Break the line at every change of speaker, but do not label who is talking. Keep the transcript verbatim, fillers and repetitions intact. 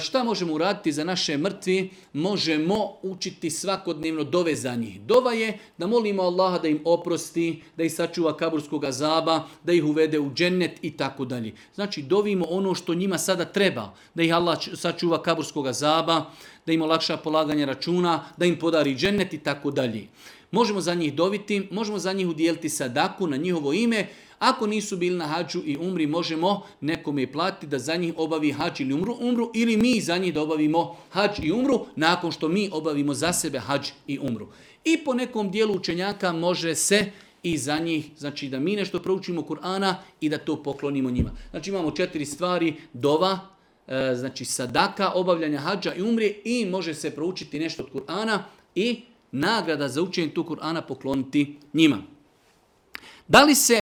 Šta možemo uraditi za naše mrtvi? Možemo učiti svakodnevno dove za njih. Dova je da molimo Allaha da im oprosti, da ih sačuva kaburskog azaba, da ih uvede u džennet i tako dalje. Znači dovimo ono što njima sada treba, da ih Allah sačuva kaburskog azaba, da im olakša polaganje računa, da im podari džennet i tako dalje. Možemo za njih doviti, možemo za njih udijeliti sadaku na njihovo ime. Ako nisu bili na hađu i umri, možemo nekome platiti da za njih obavi hađ ili umru, umru ili mi za njih da obavimo hađ i umru nakon što mi obavimo za sebe hađ i umru. I po nekom dijelu učenjaka može se i za njih, znači da mi nešto proučimo Kur'ana i da to poklonimo njima. Znači imamo četiri stvari, dova, znači sadaka, obavljanja hađa i umri i može se proučiti nešto od Kur'ana i nagrada za učenje tu Kur'ana pokloniti njima. Da li se